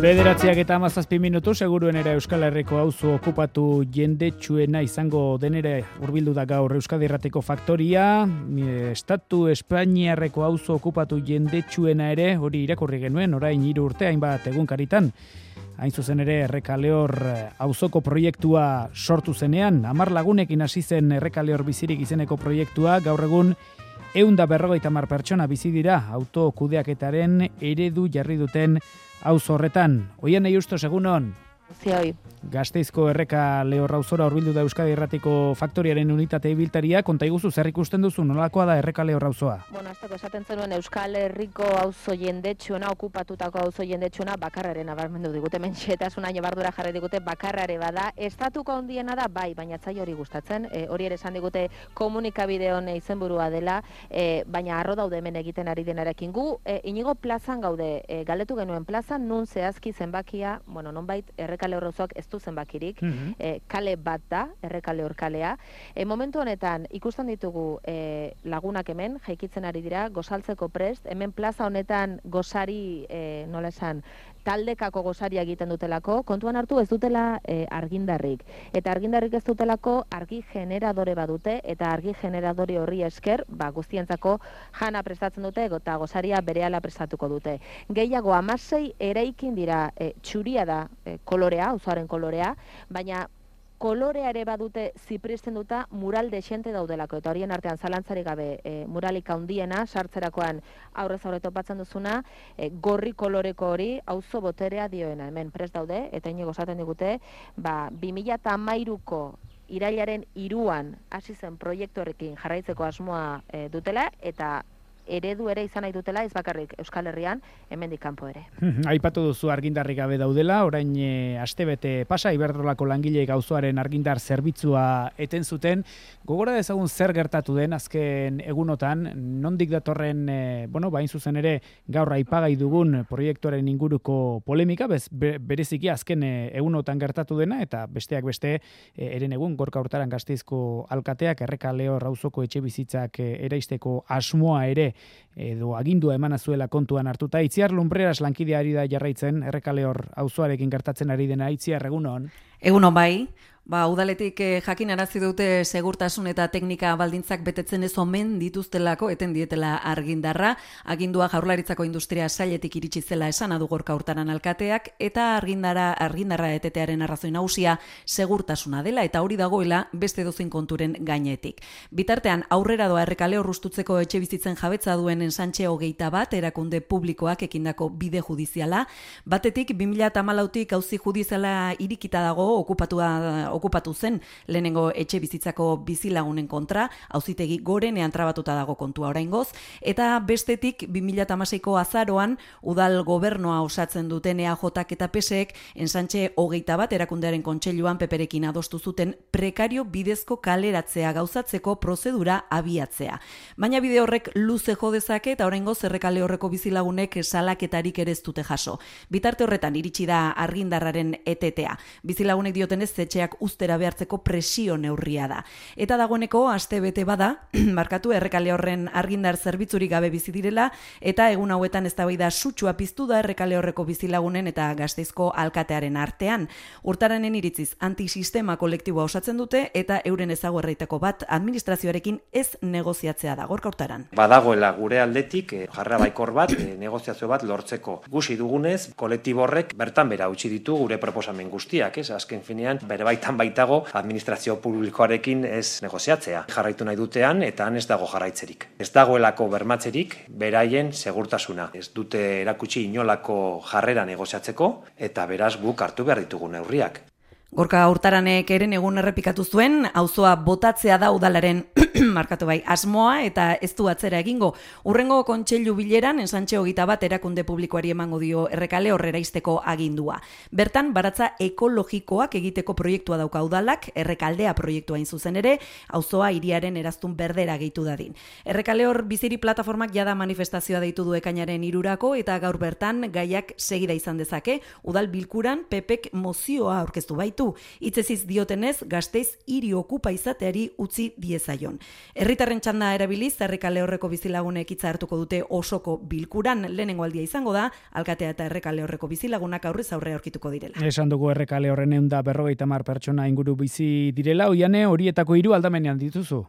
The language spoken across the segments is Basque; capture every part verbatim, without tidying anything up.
Bederatziak eta hamazazpi minutu seguruen era Euskal Herriko auzo okupatu jendetsuena izango denera hurbildu da gaur Euskadi Irratiko Faktoria. Estatu Espainiarreko auzo okupatu jendetsuena ere hori irakurri genuen orain hiru urte hainbat egunkaritan. Hain zuzen ere Errekaleor auzoko proiektua sortu zenean, hamar lagunekin hasi zen Errekaleor bizirik izeneko proiektua, gaur egun ehun eta berrogeita hamar pertsona bizi dira autokudeaketaren eredu jarri duten auzo horretan. Oian Eiusto, egunon. Zioi. Gasteizko Errekaleor auzora hurbildu da Euskadi Irratiko Faktoriaren unitate ibiltaria, konta iguzu zer ikusten duzu, nolakoa da Errekaleor auzoa? Bueno, azteko esaten zenuen Euskal Herriko auzo jendetsuena, okupatutako auzo jendetsuena bakarraren abarmendu digute, mentxetasun aino bardura jarri digute bakarrare bada. Estatuko handiena da, bai, baina zai hori gustatzen, e, hori ere esan digute komunikabideon izenburua dela, e, baina arro daude hemen egiten ari denarekin. Gu, e, inigo plazan gaude, e, galdetu genuen plazan, nun zehazki zenbakia, bueno, nonbait Errekaleor auzoak ez du zenbakirik, mm-hmm. e, kale bat da, Errekaleor kalea. E, momentu honetan ikusten ditugu e, lagunak hemen, jaikitzen ari dira, gozaltzeko prest, hemen plaza honetan gozari, e, nola esan, taldekako gozaria egiten dutelako, kontuan hartu ez dutela e, argindarrik. Eta argindarrik ez dutelako argi generadore badute, eta argi generadore horri esker, ba, guztientzako jana prestatzen dute, eta gozaria berehala prestatuko dute. Gehiago hamasei eraikin dira, e, txuria da e, kolorea, auzoaren kolorea, baina kolorea ere badute zipristen duta mural desente daudelako, eta horien artean zalantzari gabe e, muralik handiena sartzerakoan aurrez aurre topatzen duzuna, e, gorri koloreko hori auzo boterea dioena, hemen prest daude, eta inigo esaten digute, ba, bi mila hamairuko irailaren hiruan hasi zen proiektu horrekin jarraitzeko asmoa e, dutela, eta eredu ere izan nahi dutela, ez bakarrik Euskal Herrian, hemendik kanpo ere. Aipatu duzu argindarrik gabe daudela, orain e, astebete pasa, Iberdrolako langileek auzoaren argindar zerbitzua eten zuten. Gogora dezagun zer gertatu den azken egunotan, nondik datorren, e, bueno, bain zuzen ere gaur aipagai dugun proiektuaren inguruko polemika, bez, be, bereziki azken e, egunotan gertatu dena, eta besteak beste, e, eren egun, Gorka Hurtaran Gasteizko alkateak Errekaleor auzoko etxe bizitzak e, eraisteko asmoa ere edo agindua emana zuela kontuan hartuta. Itziar Lumbreras lankidea ari da jarraitzen Errekaleor auzoarekin gertatzen ari dena. Itziar, egunon. Egunon bai. Ba, udaletik eh, jakinarazi dute segurtasun eta teknika baldintzak betetzen ez omen dituztelako eten dietela argindarra. Agindua Jaurlaritzako Industria Sailetik iritsi zela esan adu Gorka Hurtaran alkateak, eta argindara argindarra etetearen arrazoi nagusia segurtasuna dela, eta hori dagoela beste dozein konturen gainetik. Bitartean aurrera doa Errekaleor hustutzeko etxe bizitzen jabetza duen Ensantxe hogeita bat erakunde publikoak ekindako bide judiziala. Batetik bi mila hamalautik auzi judiziala irikita dago okupatua okupatu zen lehenengo etxe bizitzako bizilagunen kontra, auzitegi gorenean trabatuta dago kontua oraingoz, eta bestetik bi mila hamaseiko azaroan udal gobernoa osatzen duten E A Jak eta P S Ek Ensantxe hogeita bat erakundearen kontseiluan peperekin adostu zuten prekario bidezko kaleratzea gauzatzeko prozedura abiatzea. Baina bide horrek luze jo dezake eta oraingoz Errekaleorreko bizilagunek salaketarik ere ez dute jaso. Bitarte horretan iritsi da argindarraren etetea. Bizilagunek diotenez etxeak ustera behartzeko presio neurria da. Eta dagoeneko aste bete bada, markatu Errekaleorren argindar zerbitzurik gabe bizi direla, eta egun hauetan eztabaida sutsua piztu da Errekaleorreko bizilagunen eta Gasteizko alkatearen artean. Hurtaranen iritziz antisistema kolektiboa osatzen dute, eta euren ezaugarrietako bat administrazioarekin ez negoziatzea da. Gorka Hurtaran. Badagoela gure aldetik eh, jarra baikor bat, eh, negoziazio bat lortzeko. Gusi dugunez, kolektibo horrek bertan bera utzi ditu gure proposamen guztiak, ez? Azken finean, bere baitan baitago administrazio publikoarekin ez negoziatzea. Jarraitu nahi dutean eta han ez dago jarraitzerik. Ez dagoelako bermatzerik beraien segurtasuna. Ez dute erakutsi inolako jarrera negoziatzeko eta beraz guk hartu behar ditugu neurriak. Gorka Hurtaranek eren egun errepikatu zuen, auzoa botatzea da udalaren markatu bai asmoa eta ez du atzera egingo. Urrengo kontseilu bileran Ensantxe hogeita bat erakunde publikoari emango dio Errekaleor eraisteko agindua. Bertan baratza ekologikoak egiteko proiektua dauka udalak, Errekaldea proiektua hain zuzen ere, auzoa hiriaren eraztun berdera gehitu dadin. Errekaleor biziri plataformak jada manifestazioa deitu du ekainaren hirurako eta gaur bertan gaiak segida izan dezake, udal bilkuran Pepek mozioa aurkeztu baitu du. Hitzeziz diotenez, Gasteiz hiri okupa izateari utzi diezaion. Herritarren txanda erabiliz, Errekale Horreko bizilagunek hitza hartuko dute osoko bilkuran. Lehenengo aldia izango da, alkatea eta Errekale Horreko bizilagunak aurrez aurre aurkituko direla. Esan dugu Errekale Horren ehun eta berrogeita hamar pertsona inguru bizi direla, Oiane, horietako hiru aldamenean dituzu.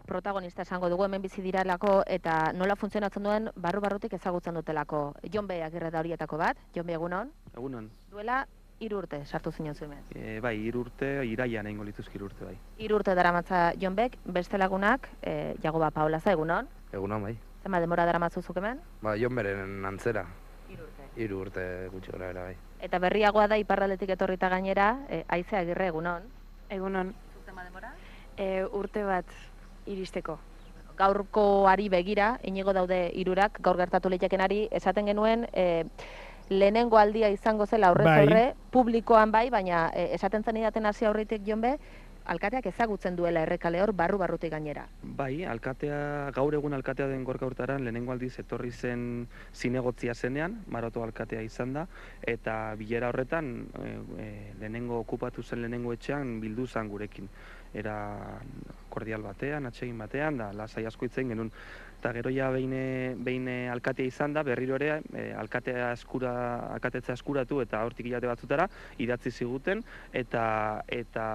Protagonista esango dugu hemen bizi diralako eta nola funtzionatzen duen barru-barrutik ezagutzen dutelako. Jonbe Agirre da horietako bat. Jonbe, egunon? Egunon. Duela hiru urte sartu zinen zuen. E, bai, hiru urte, iraian egingo lituzki hiru urte, bai. Hiru urte daramatza Jonbek, beste lagunak, e, Jagoba Paolaza, egunon? Egunon, bai. Zenbat denbora daramatzuzuk hemen? Ba, Jonberen antzera. Hiru urte. Hiru urte gutxi gora era, bai. Eta berriagoa da iparraldetik etorrita gainera, e, Aize Agirre, egunon? Egunon. Zuk zenbat denbora? E, urte bat iristeko. Gaurkoari begira, inigo daude hirurak, gaur gertatu leitekenari, esaten genuen, e, lehenengo aldia izango zela aurrez Bai. aurre, publikoan bai, baina e, esaten zenidaten hasi aurritik Jonbe, alkateak ezagutzen duela Errekale Hor barru-barrutik gainera. Bai, alkatea, gaur egun alkatea den Gorka Hurtaran lehenengo aldiz etorri zen zinegotzia zenean, Maroto alkatea izan da, eta bilera horretan e, e, lehenengo okupatu zen lehenengo etxean bildu zen gurekin. Era kordial batean, atsegin batean, da lasai asko hitz egin genuen. Eta gero ja behin, behin alkatea izan da, berriro ere e, alkatea eskura, alkatetzea eskuratu eta hortik hilate batzutara idatzi ziguten eta eta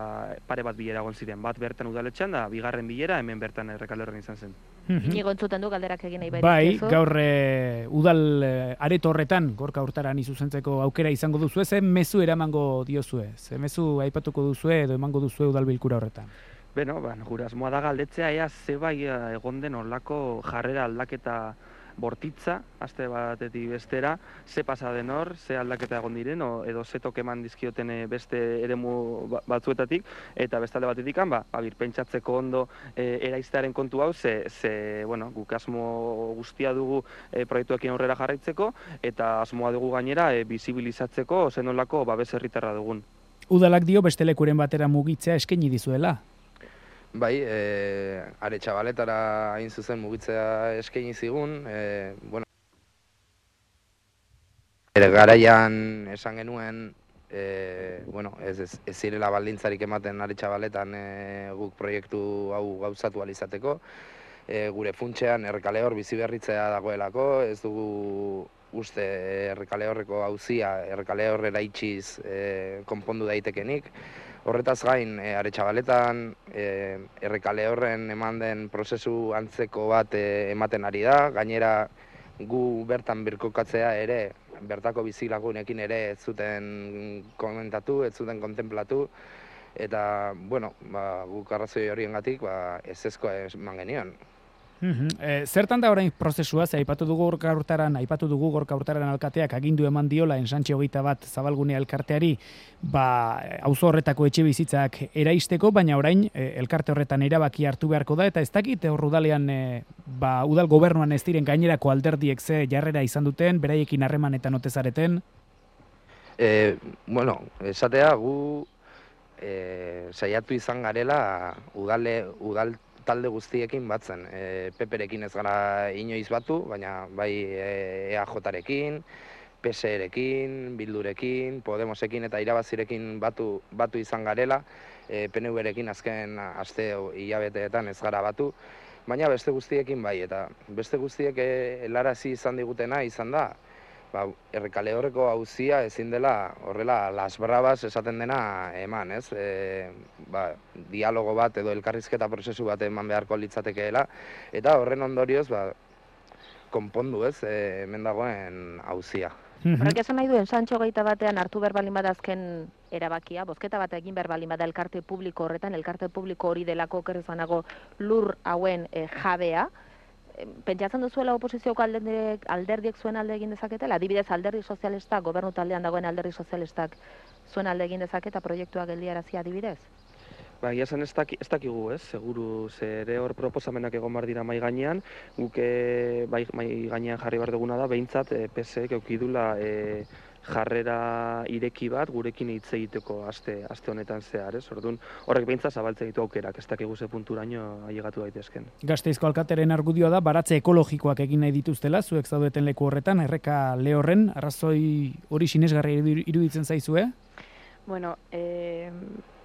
pare bat bilera egon ziren. Bat bertan udaletxean da, bigarren bilera hemen bertan Errekale Horren izan zen. Inigo entzuten du galderak egin nahi Bai, gaur e, udal e, areto horretan Gorka Hurtarani zuzentzeko aukera izango duzu, ze mezu eramango diozue, ze mezu aipatuko duzue edo emango duzue udal bilkura horretan. Beno, ba, gure asmoa da galdetzea ea ze bai egon den olako jarrera aldaketa bortitza, aste batetik bestera, ze pasa den hor, ze aldaketa egon diren, o, edo ze toke eman dizkioten beste eremu batzuetatik, eta bestalde batetik, ba, abir, pentsatzeko ondo e, eraiztearen kontu hau, ze, ze bueno, guk asmo guztia dugu e, proiektuekin aurrera jarraitzeko, eta asmoa dugu gainera e, bizibilizatzeko zen olako babes herritarra dugun. Udalak dio beste lekuren batera mugitzea eskaini dizuela. Bai, e, Aretxabaletara hain zuzen mugitzea eskaini zigun, e, bueno, ere garaian esan genuen, e, bueno, ez, ez, ez zirela baldintzarik ematen Aretxabaletan e, guk proiektu hau gauzatu alizateko, e, gure funtsean Errekale Hor bizi berritzea dagoelako, ez dugu uste Errekale Horreko auzia Errekale Horrera itxiz e, konpondu daitekenik. Horretaz gain, e, Aretxabaletan e, Errekale Horren eman den prozesu antzeko bat e, ematen ari da, gainera gu bertan birkokatzea ere, bertako bizilagunekin ere ez zuten komentatu, ez zuten kontemplatu, eta, bueno, ba, guk arrazoi horiengatik ba, ezezkoa eman genion. Uhum. E, zertan da orain prozesua, ze aipatu dugu Gorka Hurtaran, aipatu dugu Gorka Hurtaran alkateak agindu eman diola ensantxe hogeita bat Zabalgune elkarteari, ba, auzo horretako etxe bizitzak eraisteko, baina orain e, elkarte horretan erabaki hartu beharko da, eta ez dakit hor udalean, e, ba, udal gobernuan ez diren gainerako alderdiek ze jarrera izan duten, beraiekin harremanetan ote zareten? E, bueno, esatea gu e, saiatu izan garela udale, udal talde guztiekin batzen. E, Peperekin ez gara inoiz batu, baina bai E A J-rekin, P S E-rekin, Bildurekin, Podemosekin eta Irabazirekin batu, batu izan garela, e, P N V-rekin azken aste hilabeteetan ez gara batu, baina beste guztiekin bai, eta beste guztiek helarazi izan digutena izan da, ba, Errekale Horreko auzia ezin dela horrela las bravas esaten dena eman, ez? E, ba, dialogo bat edo elkarrizketa prozesu bat eman beharko litzatekeela, eta horren ondorioz ba, konpondu, ez? E, hemen dagoen auzia. Horrek esan nahi duen, Santxo hogeita batean hartu behar balin bada azken erabakia, bozketa bat egin behar balin bada elkarte publiko horretan, elkarte publiko hori delako kerrezanago lur hauen e, jabea, pentsatzen duzuela oposizioko alderdiek, alderdiek zuen alde egin dezaketela? Adibidez, alderdi sozialistak, gobernu taldean dagoen alderdi sozialistak zuen alde egin dezaketa proiektua geldiarazi adibidez? Ba, egia zen ez, daki, ez dakigu, ez, seguru, zere hor proposamenak egon bar dira mai gainean, guk bai, mai gainean jarri behar duguna da, behintzat e, P S E-ek eukidula e, jarrera ireki bat gurekin hitz egiteko aste, aste honetan zehar, ez? Orduan, horrek behintzat zabaltzen ditu aukerak, ez dakigu ze punturaino ailegatu daitezken. Gasteizko alkateren argudioa da, baratze ekologikoak egin nahi dituztela, zuek zaudeten leku horretan, Errekale Horren, arrazoi hori sinesgarri iruditzen zaizue? Bueno, e,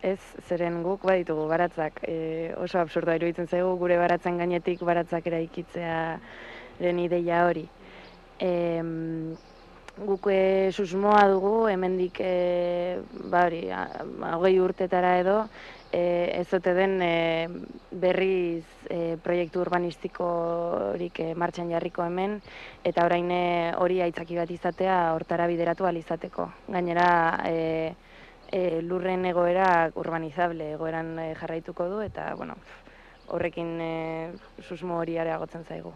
ez zeren guk baditugu baratzak, e, oso absurdoa iruditzen zaigu gure baratzen gainetik baratzak eraikitzearen ideia hori. E, guk e, susmoa dugu, hemendik e, ba hori, hogei urtetara edo, e, ez ote den e, berriz e, proiektu urbanistikorik e, martxan jarriko hemen, eta orain e, hori aitzaki bat izatea hortara bideratu ahal izateko. Gainera, e, e, lurren egoera urbanizable egoeran e, jarraituko du, eta, bueno, horrekin e, susmo hori areagotzen zaigu.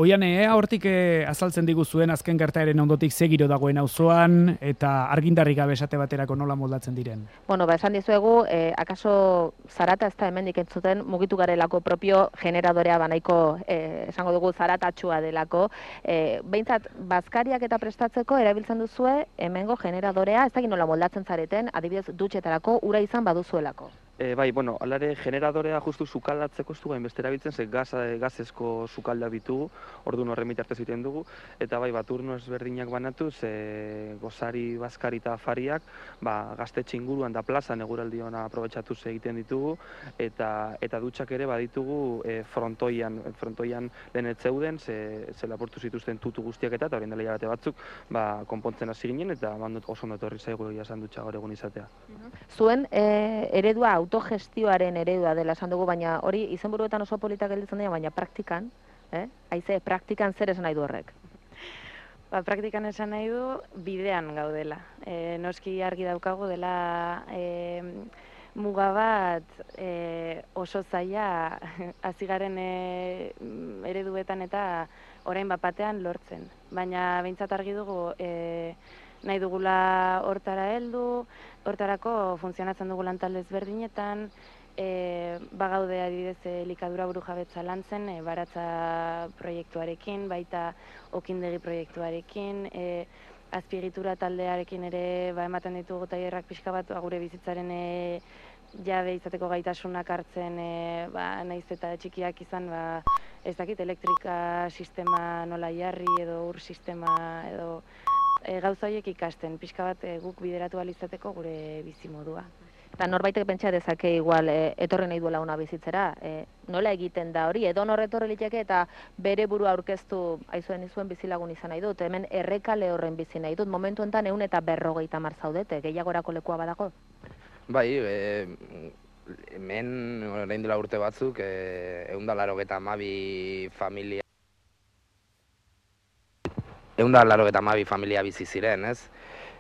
Oian, ea hortik e, azaltzen diguzuen azken gertaeren ondotik ze giro dagoen auzoan eta argindarrik gabe esate baterako nola moldatzen diren? Bueno, ba, esan dizuegu, eh, akaso zarata ez da hemendik entzuten mugitu garelako propio generadorea banaiko, eh, esango dugu zaratatxua delako. Eh, behintzat, bazkariak eta prestatzeko erabiltzen duzue hemengo generadorea, ez da nola moldatzen zareten, adibidez dutxetarako ura izan baduzuelako. E, bai, bueno, alare generadorea justu sukaldatzeko ez dugu hainbeste erabiltzen, ze gaz, gazezko sukalda ditugu, orduan horren bitartez egiten dugu, eta bai, bat urno ezberdinak banatuz, e, gozari, bazkari eta afariak, ba, gaztetxe inguruan da plazan eguraldion aprobetxatuz egiten ditugu, eta eta dutxak ere baditugu e, frontoian, frontoian lehen ez zeuden, ze, ze lapurtu zituzten tutu guztiak eta, eta horien dela hilabete batzuk, ba, konpontzen hasi ginen, eta bandot oso ondo etorri zaigu jasan dutxa gaur egun izatea. Zuen e, eredua autogestioaren eredua dela esan dugu, baina hori izenburuetan oso politak gelditzen dira, baina praktikan, eh? Haize, praktikan zer esan nahi du horrek? Ba, praktikan esan nahi du bidean gaudela. E, noski argi daukagu dela e, muga bat e, oso zaila hasi garen e, ereduetan eta orain bat batean lortzen. Baina behintzat argi dugu e, nahi dugula hortara heldu, hortarako funtzionatzen dugu lantalde ezberdinetan, e, bagaude adibidez elikadura burujabetza lantzen, e, baratza proiektuarekin, baita okindegi proiektuarekin, e, azpiegitura taldearekin ere ba, ematen ditugu tailerrak pixka bat gure bizitzaren e, jabe izateko gaitasunak hartzen, e, ba, nahiz eta txikiak izan, ba, ez dakit elektrika sistema nola jarri edo ur sistema edo E, gauza horiek ikasten, pixka bat e, guk bideratu ahal izateko gure bizimodua. Eta norbaitek pentsa dezake igual e, etorri nahi duela una bizitzera, e, nola egiten da hori, edo nor etorri liteke eta bere burua aurkeztu aizuen izuen bizilagun izan nahi dut, hemen errekale horren bizi nahi dut, momentu enten ehun eta berrogeita hamar zaudete, gehiagorako lekua badago? Bai, e, hemen orain dela urte batzuk, e, ehun eta laurogeita hamabi familia ehun eta laurogeita hamabi familia bizi ziren, ez?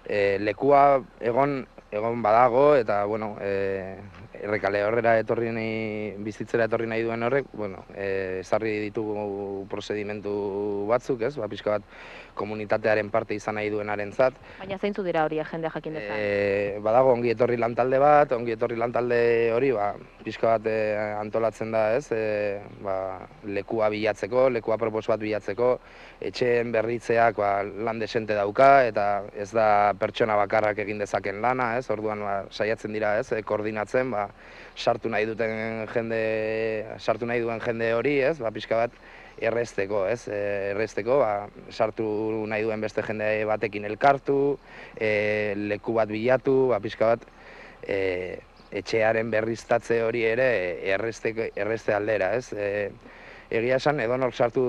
E, lekua egon egon badago eta bueno, e, errekale horrera etorri nahi, bizitzera etorri nahi duen horrek, bueno, e, ezarri ditugu prozedimentu batzuk, ez? Ba, pixka bat komunitatearen parte izan nahi duenarentzat. Baina zeintzu dira hori jende jakin dezan? E, badago ongi etorri lantalde bat, ongi etorri lantalde hori, ba, pixka bat e, antolatzen da, ez? E, ba, lekua bilatzeko, lekua propos bat bilatzeko, etxeen berritzeak ba, lan desente dauka, eta ez da pertsona bakarrak egin dezaken lana, ez? Orduan ba, saiatzen dira, ez? E, koordinatzen, ba, sartu nahi duten jende, sartu nahi duen jende hori, ez? Ba, pixka bat errezteko, ez? E, errezteko, ba, sartu nahi duen beste jende batekin elkartu, e, leku bat bilatu, ba, pixka bat e, etxearen berriztatze hori ere errezte, errezte aldera, ez? E, egia esan, edonor sartu,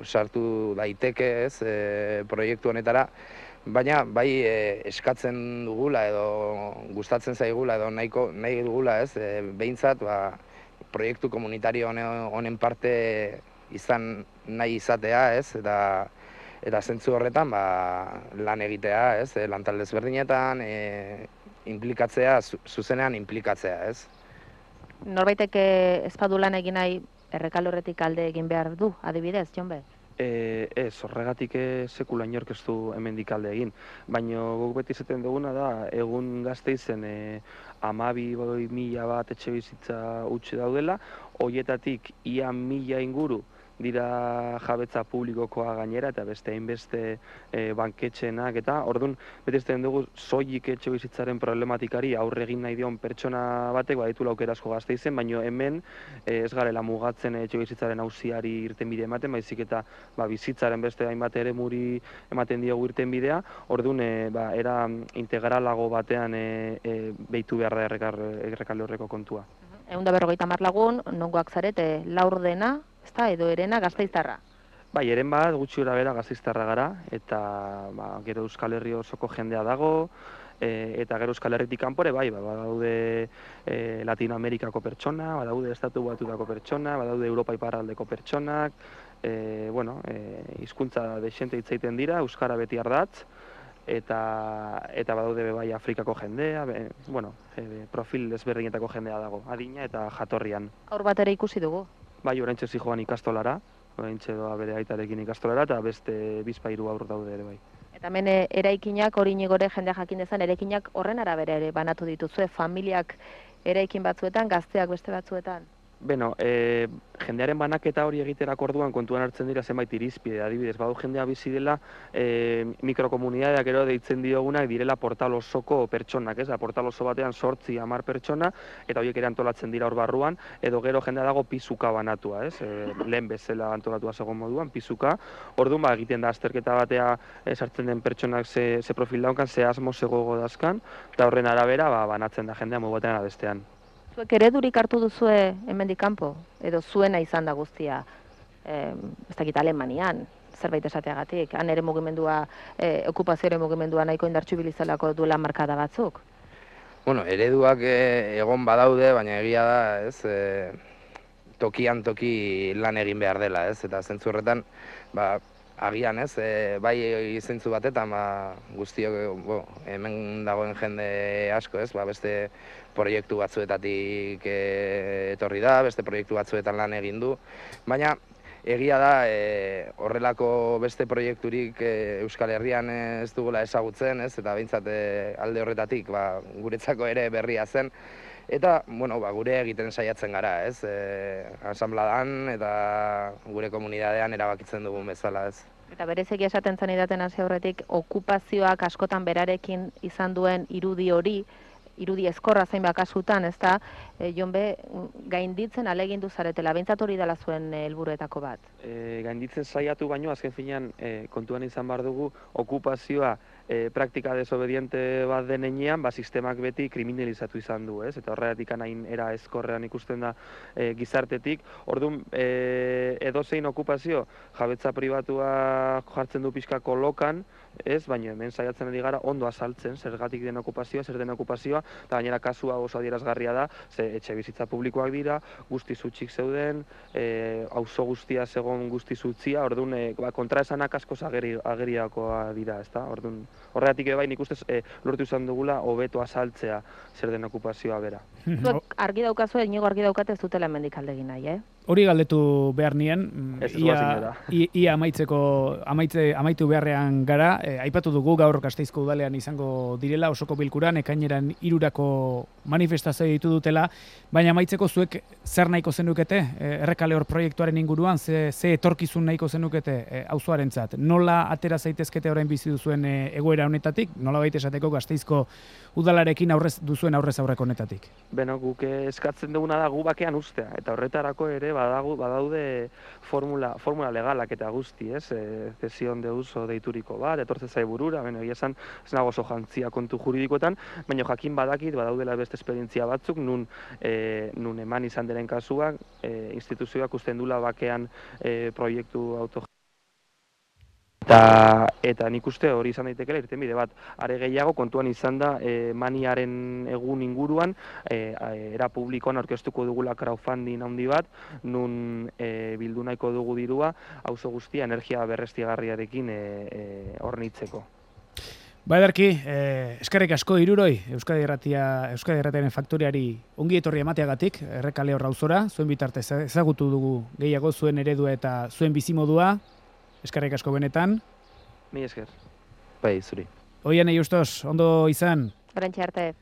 sartu daiteke, ez? E, proiektu honetara, baina bai e, eskatzen dugula edo gustatzen zaigula edo nahiko, nahi dugula, ez? E, behintzat, ba, proiektu komunitario honen parte izan nahi izatea, ez? Eta eta zentzu horretan ba, lan egitea, ez? E, lantalde ezberdinetan, e, implikatzea, zuzenean implikatzea, ez? Norbaitek ez badu lan egin nahi errekal horretik alde egin behar du, adibidez, Jonbe? E, ez, horregatik sekula inork ez du hemendik alde egin. Baina guk beti izaten duguna da, egun Gasteizen e, hamabi mila bat etxe bizitza utxe daudela, horietatik ia mila inguru dira jabetza publikokoa gainera, eta beste hainbeste e, banketxenak, eta orduan, betezten dugu, soilik etxe bizitzaren problematikari aurre egin nahi dion pertsona batek, baditu laukera asko Gasteizen, baina hemen e, ez garela mugatzen etxe bizitzaren auziari irtenbide ematen, baizik eta ba, bizitzaren beste hainbat ere muri ematen diogu irtenbidea, orduan, e, ba, era integralago batean e, e, behitu behar da errekalde horreko kontua. Ehun da berrogeita hamar lagun, nongoak zarete laurdena, ezta, edo erena Gasteiztarra. Bai, eren bat, gutxi gora bera Gasteiztarra gara, eta ba, gero Euskal Herri osoko jendea dago, e, eta gero Euskal Herritik kanpore, bai, ba, badaude e, Latinoamerikako pertsona, badaude Estatu Batutako pertsona, badaude Europa iparraldeko pertsonak, e, bueno, e, hizkuntza dexente hitz egiten dira, euskara beti ardatz, eta eta badaude bai Afrikako jendea, be, bueno, e, profil ezberdinetako jendea dago, adina eta jatorrian. Aur bat ere ikusi dugu. Bai, oraintxe zijoan ikastolara, oraintxe doa bere aitarekin ikastolara, eta beste bizpairu aur daude ere bai. Eta hemen eraikinak, hori nigore jendea jakin dezan, eraikinak horren arabera ere banatu dituzue, familiak eraikin batzuetan, gazteak beste batzuetan? Beno, e, jendearen banaketa hori egiterako orduan kontuan hartzen dira zenbait irizpide, adibidez, badu jendea bizi dela e, mikrokomunitateak ero deitzen diogunak direla portal osoko pertsonak, ez? Portal oso batean sortzi hamar pertsona, eta horiek ere antolatzen dira hor barruan, edo gero jendea dago pizuka banatua, ez? E, lehen bezala antolatua zegoen moduan, pizuka, orduan ba, egiten da azterketa batea e, sartzen den pertsonak ze, ze profil daunkan, ze asmo ze gogo dazkan, eta horren arabera ba, banatzen da jendea modu batean bestean. Zuek eredurik hartu duzue hemendik kanpo, edo zuena izan da guztia, eh, ez dakit Alemanian, zerbait esateagatik, han ere mugimendua, eh, okupazioaren mugimendua nahiko indartsu bilizalako duela markada batzuk? Bueno, ereduak e, egon badaude, baina egia da, ez, e, tokian toki lan egin behar dela, ez, eta zentzu horretan, ba, agian, ez, e, bai zentzu batetan, ba, guztiok, bo, hemen dagoen jende asko, ez, ba, beste proiektu batzuetatik e, etorri da, beste proiektu batzuetan lan egin du, baina egia da e, horrelako beste proiekturik e, Euskal Herrian ez dugula ezagutzen, ez, eta behintzat e, alde horretatik, ba, guretzako ere berria zen, eta, bueno, ba, gure egiten saiatzen gara, ez, e, asambladan eta gure komunitatean erabakitzen dugun bezala, ez. Eta berezeki esaten zanidaten hasi aurretik, okupazioak askotan berarekin izan duen irudi hori, irudi ezkorra zein bakasutan, ez da, e, jonbe, gainditzen alegindu zaretela, behintzat hori dela zuen helburuetako bat. E, gainditzen saiatu baino, azken finean, e, kontuan izan behar dugu, okupazioa e, praktika desobediente bat denean, ba, sistemak beti kriminalizatu izan du, ez? Eta horregatik hain era ezkorrean ikusten da e, gizartetik. Orduan, e, edozein okupazio, jabetza pribatua jartzen du pixka kolokan, ez, baina hemen saiatzen ari gara ondo azaltzen zergatik den okupazioa, zer den okupazioa, eta gainera kasua oso adierazgarria da, ze etxe bizitza publikoak dira, guztiz utzik zeuden, e, auzo guztia zegoen guztiz utzia, orduan e, ba, kontraesanak askoz ageri, ageriakoa dira, ezta? Orduan, horregatik bai nik ustez e, lortu izan dugula hobeto azaltzea zer den okupazioa bera. Zuek argi daukazu, inigo argi daukate ez dutela hemendik aldegin nahi, eh? Hori galdetu behar nien, Ez ia, ia amaitzeko, amaitze, amaitu beharrean gara, e, aipatu dugu gaur Gasteizko udalean izango direla, osoko bilkuran, ekaineran hirurako manifestazio ditu dutela, baina amaitzeko zuek zer nahiko zenukete, e, errekale hor proiektuaren inguruan, ze, ze etorkizun nahiko zenukete e, auzoarentzat. Nola atera zaitezkete orain bizi duzuen e, egoera honetatik, nola baita esateko Gasteizko udalarekin aurrez duzuen aurrez aurreko honetatik? Beno, guk eskatzen duguna da gu bakean ustea, eta horretarako ere badagu, badaude formula, formula legalak eta guzti, ez? E, zesion de uso deituriko bat, etortze zai burura, beno, egia esan, ez nago oso jantzia kontu juridikoetan, baina jakin badakit, badaudela beste esperientzia batzuk, nun, e, nun eman izan diren kasuak, e, instituzioak usten dula bakean e, proiektu auto Eta, eta nik uste hori izan daitekela irtenbide bat. Are gehiago kontuan izan da e, maniaren egun inguruan e, era publikoan aurkeztuko dugula crowdfunding handi bat, nun e, bildu nahiko dugu dirua, auzo guztia energia berreztigarriarekin e, e, hornitzeko. Ba edarki, eh, eskerrik asko Hiruroi, Euskadi Irratia, Euskadi Irratiaren faktoriari ongi etorri emateagatik, errekale hor auzora, zuen bitartez ezagutu dugu gehiago zuen eredua eta zuen bizimodua. Eskerrik asko benetan. Mi esker. Bai, zuri. Oian, Justos, ondo izan. Orantxe arte.